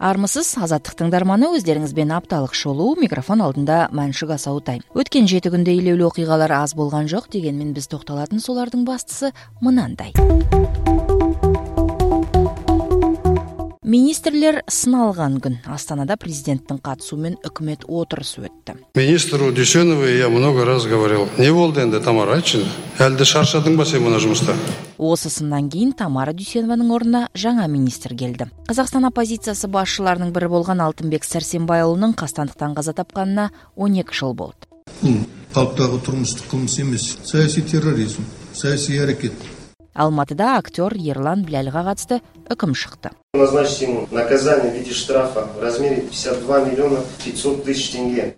Армысыз, Азаттыктын тыңдарманы, өздеріңиз бен апталык шолуу, микрофон алдында Маншык Асаутай. Өткен 7 күндө илеулүү окуйгалар аз болгон жок, дегенмен биз токтолатын солардын бастысы мынандай. Министрлер сыналган күн. Астанада президенттин катышуу менен өкмөт отурусу өттү. Министру Дүйсеновой я много раз говорил. Не болду энди, Тамара, айтчы? Әлде шаршадыңбы сен мына жумушта? Осысынан кийин Тамара Дүйсенованын ордуна жаңа министр келди. Казакстан оппозициясы башчыларынын бири болгон Алтынбек Сәрсенбай уулунун кастандыктан каза тапканына 12 жыл болду. Калктагы турмуштук кылмыш эмес, саясий терроризм, саясий аракет. Алматыда актер Ерлан Билялга катысты өкүм чыкты. Назначить ему наказание в виде штрафа в размере 52 миллиона 500 тысяч тенге.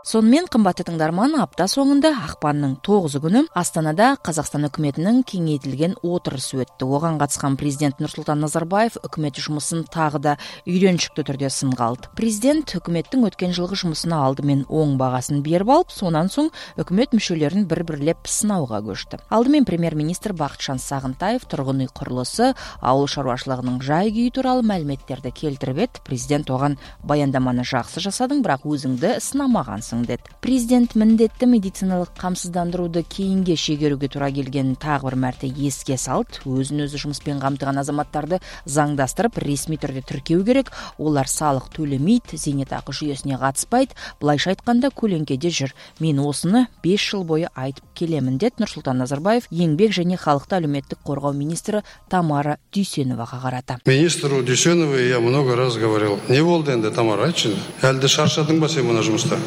Сонымен кымбатты тыңдарман, апта соңунда акпандын 9 күнү Астанада Казакстан өкмөтүнүн кеңейтилген отурусу өттү. Оган катышкан президент Нурсултан Назарбаев өкмөт жумусын тагы да үйрөнчүктүү түрдө сынга алды. Президент өкмөттүн өткөн жылкы жумусуна алдымен оң багасын берип алып, сонан соң өкмөт мүчөлөрүн бирлеп сынауга көчтү. Алдымен премьер-министр Бакытжан Сагынтаев тургун үй курулусу, ауыл шаруашылыгынын жай күйү тууралуу маалиметтерди келтирип, президент оган баяндаманы жакшы жасадың, бирок өзүңдү сынамагансың. Президент міндетті медициналык камсыздандырууду кейинге шегерүүгө туура келгенин тагы бир марта эске салды. Өзүн-өзү жумуспен камтыган азаматтарды заңдастырып, ресми түрдө тиркөө керек. Олар салык төлөмөйт, зейнетакы жүйөсүнө катыспайт. Булайша айтканда көлеңкеде жүр. Мен осуну 5 жыл бою айтып келемин, деп Нурсултан Назарбаев Еңбек жана халыкты алиметтик коргоо министри Тамара Дүйсеновага карата. Министру Дүйсеновой я много раз говорил. Не болду энди, Тамара, айтчы? Әлде шаршадыңбы сен мына жумушта?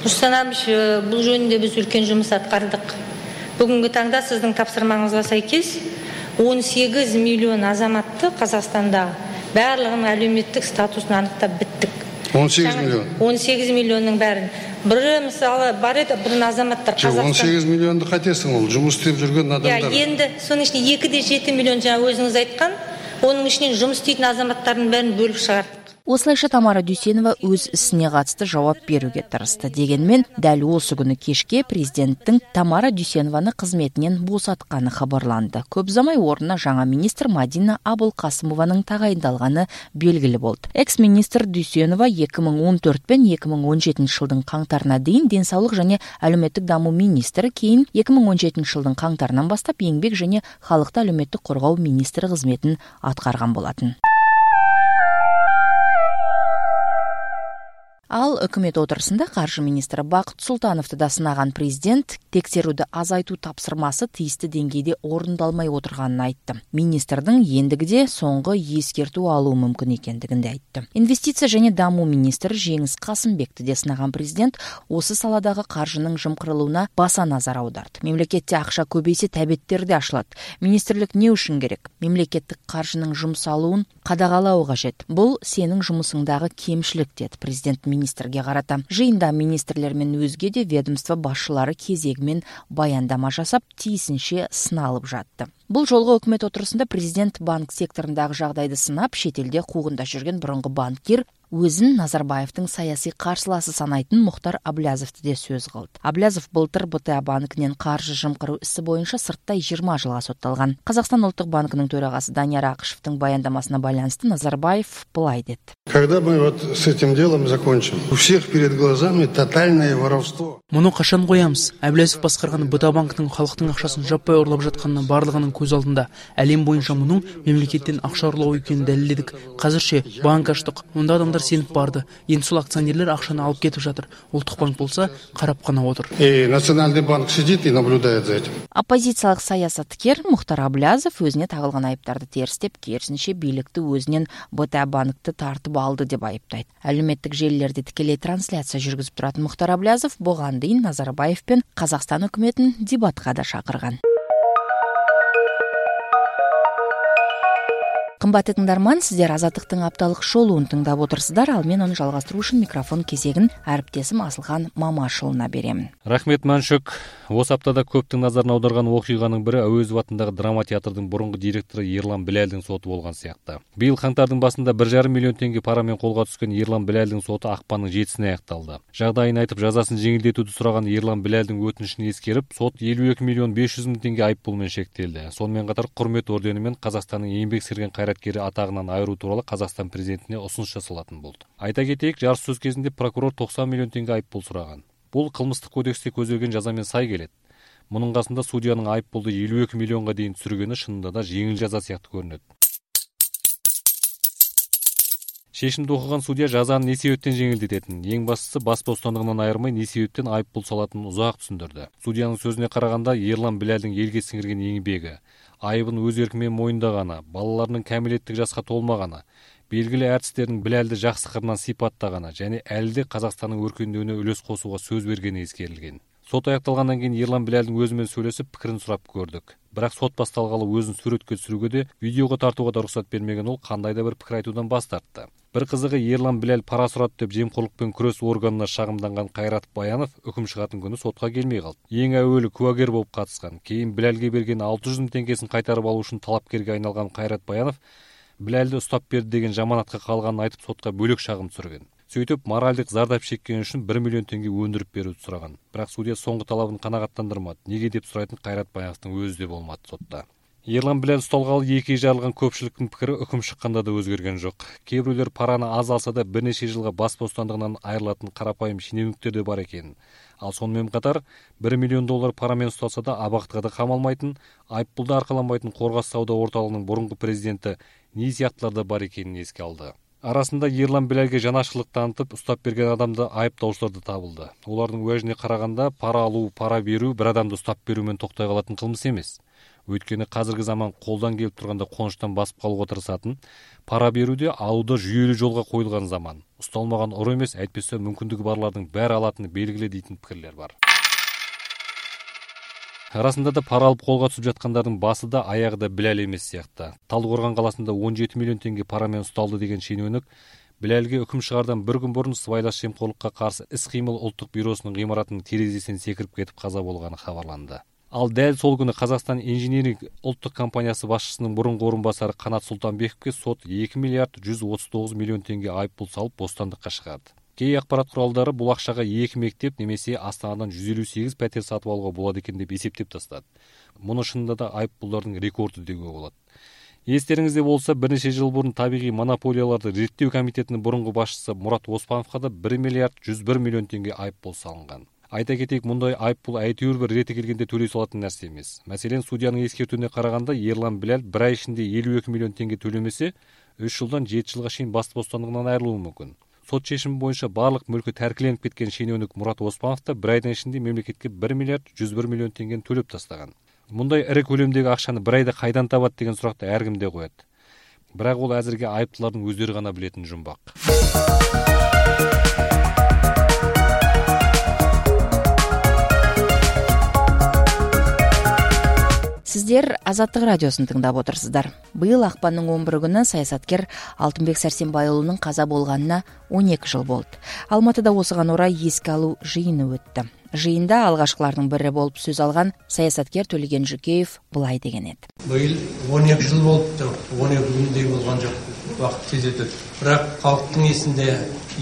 Нурсултан абич, бул жөнүндө биз үлкен жумуш аткардык. Бүгүнкү таңда сиздин тапсырмаңызга сайкес 18 миллион азаматты Казакстанда барлыгынын алиметтик статусун аныктап биттик. 18 миллион. 18 миллиондун бәрін. Бирі мисалы бар еді, бирин азаматтар Казакстан. 18 миллионду кайтесиң, ол жумуш істеп жүргөн адамдар. Енді сонун ичинде 2,7 миллион жаңа өзүңүз айткан, onun ичинен жумуш істейтин азаматтардын бәрін бөлүп чыгардык. Осылайша Тамара Дүйсенова өз исине катысты жауап берүүгө тырышты. Дегенмен, дәл осы күнү кешке президенттин Тамара Дүйсенованы кызметинен босатканы кабарланды. Көп замай ордуна жаңа министр Мадина Абулкасымованын тагайындалганы белгилүү болду. Экс-министр Дүйсенова 2014 пен 2017 жылдын каңтарына дейин ден соолук жана алиметтик дамуу министри, кийин 2017 жылдын каңтарынан баштап Еңбек жана халыкты алиметтик коргоо министри кызметін аткарган болатын. Ал өкмөт отурусунда каржы министри Бакыт Султановду да сынаган президент текшерүүдү азайтуу тапсырмасы тийиштүү деңгейде орундалмай отурганын айтты. Министрдин эндигиде соңку эскертүү алуу мүмкүн экендигин айтты. Инвестиция жана дамуу министри Жеңис Касымбекти де сынаган президент осы саладагы каржынын жымкырылууна баса назар аударды. Мемлекетте акча көбөйсө табеттерди ашылат. Министрлик не үчүн керек? Мемлекеттик каржынын жумшалуун кадагалоо кажет. Бул сенин жумусуңдагы кемчилик, деді президент министрге карата. Жыйында министрлер менен өзге де ведомство башчылары кезегимен баяндама жасап, тийисинче сыналып жатты. Бул жолго өкмөт отурусунда президент банк секторундагы жагдайды сынап, шет элде куугунда жүргөн бурунку банкир өзүн Назарбаевдин саясий каршылаасы санайтын Мухтар Аблязовду де сөз кылды. Аблязов былтыр БТА банкинен каржы жымкыруу иши боюнча сырттай 20 жылга сотталган. Казакстан улуттук банкынын төрагасы Данияр Акышевдин баяндамасына байланыштуу Назарбаев былай деди. Когда мы вот с этим делом закончим, у всех перед глазами тотальное воровство. Муну качан коямыз? Аблязов баскарган БТА банкынын халыктын акчасын жаппай урлап жатканына барлыгынын көз алдында. Әлем боюнча мунун мемлекеттен акча урлоо экенин далилдедик. Азырчы банк ачтык. Мында адамдар сеніп барды. Енді сол акционерлер акчаны алып кетип жатыр. Улуттук банк болса карап гана отур. И Национальный банк сидит и наблюдает за этим. Оппозициялык саясаткер Мухтар Аблязов өзүнө тагылган айыптарды терстеп, керисинче бийликти өзүнөн БТА банкты тартып алды деп айыптайт. Әлеуметтик желилерде тикелей трансляция жүргүзүп турат Мухтар Аблязов буга дейин Назарбаев пен Казакстан өкмөтүн дебатка да чакырган. Кымбаттуу тыңдарман, сиздер Азаттыктын апталык шоулуун тыңдап отурсуздар. Ал мен аны жалгастыруу үчүн микрофон кезегин әріптесім Асылхан Мамашұлына берем. Рахмет Маншук. Осы аптада көптің назарын аударған окуйганын бири Әуезов атындагы драма театрдын бурунку директору Ерлан Билалдин соту болгон сыякты. Быйыл каңтардын басында 1,5 миллион теңге пара менен колго түшкөн Ерлан Билалдин соту акпандын 7-сине аякталды. Жагдайын айтып, жазасын жеңилдетүүдү сураган Ерлан Билалдин өтүнүшүн эскерип, сот 52 миллион 500 миң теңге айыппул менен шектелди. Сонун катар Курмет ордени менен Казакстандын эңбек сиңирген кайраткери атагынан айыруу тууралуу Казакстан президентине усунуш жасалатын болду. Айта кетейик, жарыш сөз кезинде прокурор 90 миллион теңге айыппул сураган. Бул кылмыштык кодексте көзделген жаза менен сай келет. Мунун касында судьянын айыппулду 52 миллионго дейин түсүргөнү шынында да жеңил жаза сыяктуу көрүнөт. Шешимди окуган судья жазаны не себептен жеңилдететин, эң бастысы бас бостандыгынан айырмай не себептен айыппул салатынын узак түшүндүрдү. Судьянын сөзүнө караганда, Ерлан Билалдин элге сиңирген эңбеги, айыбын өз эрки менен мойындаганы, балаларынын кәмилеттик жашка толмаганы, белгилүү артисттердин Билалды жакшы кырынан сыйпаттаганы жана әлде Казакстандын өркөндөөүнө үлөс косууга сөз бергени эскерилген. Сот аякталгандан кийин Ерлан Билалдин өзү менен сүйлөшүп, пикирин сурап көрдүк. Бирок сот башталгалы өзүн сүрөткө түшүрүүгө да, видеого тартууга да уруксат бермеген ол кандай да бир пикир айтуудан баш тартты. Бир кызыгы, Ерлан Билал пара сурат деп жемкорлук менен күрөш органына шагымданган Кайрат Баянов өкүм чыгатын күнү сотко келмей калды. Эң әүвөлү куагер болуп катышкан, кийин Билалге берген 600 миң теңгесин кайтарып алуу үчүн талапкерге айналган Кайрат Баянов Билалды уштап берди деген жаманатка калганын айтып сотко бөлөк шагым түшүргөн. Сөйтүп, моралдык зардап чеккен үчүн 1 миллион теңге өндүрүп берүүнү сураган. Бирок судья соңку талабын канагаттандырмады. Неге деп сурайтын Кайрат Баяновдун өзү да болмады сотто. Ерлан Билал ушталгалы 2 жарылган көпчүлүктүн пикири өкүм чыкканда да өзгөргөн жок. Кээ бирөөлөр параны аз алса да бир нече жылга бас бостандыгынан айрылатын карапайым шенеуниктер да бар экен. Ал сонун катар 1 миллион доллар пара менен ушталса да абактыга да камалмайтын, айыппулду аркаламайтын Коргас сауда орталыгынын мурунку президенти НИИ сыяктуулар да бар экенин эске алды. Арасында Ерлан Билалге жанашырлык таанытып уштап берген адамды айыптоочулар да табылды. Олардын уажине караганда пара алуу, пара берүү бир адамды уштап берүү менен токтой калатын кылмыш эмес. Өйткөнү азыркы заман колдон келип турганда конуштан басып калууга тырышатын, пара берүүдө алууда жүйөлүү жолго коюлган заман. Ушталмаган ору эмес, айтпесе мүмкүндүгү барлардын баары алатыны белгиле дейтин пикирлер бар. Арасында да пара алып колго түшүп жаткандардын басы да аягы да Билал эмес сыякты. Талдыкорган каласында 17 миллион теңге пара менен ушталды деген шенеуник Билалге өкүм чыгардан bir күн мурун сыбайлаш жемкорлукка каршы ис-кыймыл улуттук бюросунун гыймаратынын терезесинен секирип кетип каза болгону кабарланды. Ал дәл сол күнү Казакстан инжиниринг улуттук компаниясы башчысынын мурунку орун басары Канат Султанбековке сот 2 миллиард 139 миллион теңге айыппул салып бостандыкка чыгарды. Кей акпарат куралдары бул акчага 2 мектеп немесе Астанадан 158 пәтер сатып алууга болот экен деп эсептеп тастады. Муну шынында да айыппулдардын рекорду деуге болот. Эстериңизде болса, бир нече жыл мурун табигый монополияларды реттөө комитетинин мурунку башчысы Мурат Оспановго да 1 миллиард 101 миллион теңге айыппул салынган. Айта кетейик, мындай айыппул әйтеуір бир рети келгенде төлөй салатын нерсе эмес. Маселен, судьянын эскертүүнүнө караганда Ерлан Билал 1 ай ичинде 52 миллион теңге төлөмөсө, 3 жылдан 7 жылга чейин бас бостандыгынан айрылуу мүмкүн. Сот чечими боюнча барлык мүлкү тәркиленип кеткен шенеуник Мурат Оспанов да 1 айдан ичинде мемлекетке 1 миллиард 101 миллион теңгени төлөп тастаган. Мындай ири көлөмдөгү акчаны 1 айда кайдан табат деген суракты ар ким да коет. Бирок ол азыркы айыптылардын өздөрү гана билетін жумбак. Сиздер Азаттык радиосун тыңдап отурсуздар. Быйыл акпандын 11 күнү саясаткер Алтынбек Сәрсенбай уулунун каза болгонуна 12 жыл болду. Алматыда осуга орай эске алуу жыйыны өттү. Жыйында алгачкылардын бири болуп сөз алган саясаткер Төлеген Жүкеев былай деген эди. Быйыл 12 жыл болупту. 12 күндей болгон жок. Убакыт тез өтөт. Бирок калктын эсинде,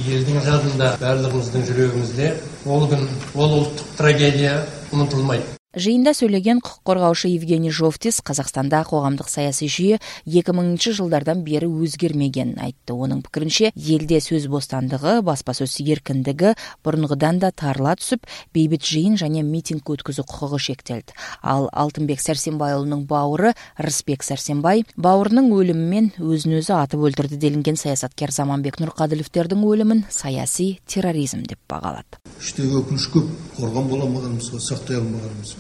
элдин жадында, барлыгыбыздын жүрөгүмүздө ол күн, ол улуттук трагедия унутулмайт. Жыйында сөйлеген укук коргоочу Евгений Жовтис Казакстанда коомдук саясий жүйө 2000 жылдардан бери өзгермегенин айтты. Онун пикиринче, элде сөз бостандыгы, баспасөз эркиндиги бурунгудан да тарыла түсүп, бейбит жыйын жана митинг өткөзүү укугу шектелди. Ал Алтынбек Сәрсенбай уулунун бауыры Рысбек Сәрсенбай бауырунун өлүмү менен өзүн өзү атып өлтүрдү делинген саясаткер Заманбек Нуркадыловдун өлүмүн саясий терроризм деп багалады. Иштеги өкүнүч көп, коргон боло алмаганыбызга, сактай алмаганыбызга.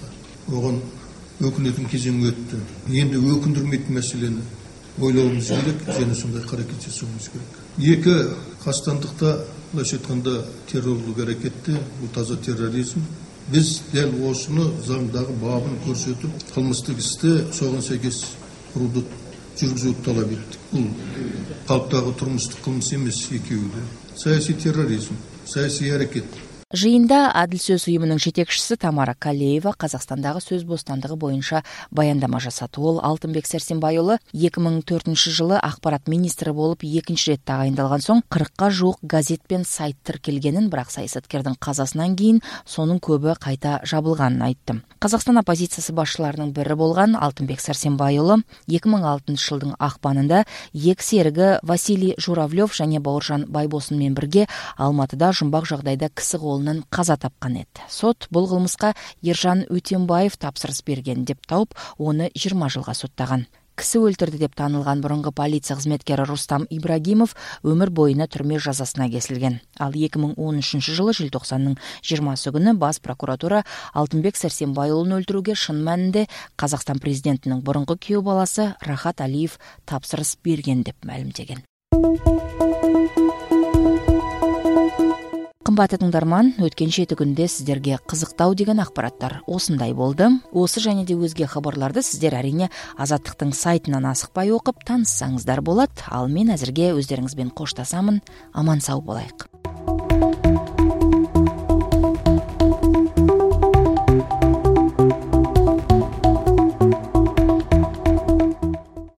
Оған өкүнөтүн кезеңи өттү. Енді өкүндүрмейтин маселени ойлообуз керек, және сондай аракет жасообуз керек. Эки кастандыкта, былайча айтканда, террорлук аракетти, бул таза терроризм. Биз дел осуну заңдагы бабын көрсөтүп, кылмыштык исти согон сайкес курууду жүргүзүүгө талап эттик. Бул калктагы турмуштук кылмыш эмес, экөөү да саясий терроризм, саясий аракет. Жыйында Адил сөз уюмунун жетекчиси Тамара Калеева Казакстандагы сөз бостандыгы боюнча баяндама жасады. Ол Алтынбек Сәрсенбай уулу 2004 жылы акпарат министри болуп экинчи рет тагайындалган соң 40ка жуук газет пен сайт тиркелгенин, бирок саясаткердин казасынан кийин сонун көбү кайта жабылганын айтты. Казакстан оппозициясы башчыларынын бири болгон Алтынбек Сәрсенбай уулу 2006 жылдын акпанында эки сериги Василий Журавлев жана Бауыржан Байбосын менен бирге Алматыда жумбак жагдайда киси каза тапкан эди. Сот бул кылмыска Ержан Өтенбаев тапсырыс берген деп тауып, оны 20 жылга соттаган. Киси өлтүрдү деп таанылган мурунку полиция кызметкери Рустам Ибрагимов өмүр боюна түрмө жазасына кесилген. Ал 2013 жылы желтоқсандын 20 күнү бас прокуратура Алтынбек Сәрсенбай уулун өлтүрүүгө шын маанинде Казакстан президентинин мурунку күйөө баласы Рахат Алиев тапсырыс берген деп маалымдеген. Кымбаттуу тыңдарман, өткөн 7 күндө сиздерге кызыктуу деген акпараттар осундай болду. Осы және де өзге кабарларды сиздер арине Азаттыктын сайтынан асыкпай окуп тааныссаңыздар болот. Ал мен азырге өздөрүңүз менен коштасамын. Аман сау болайык.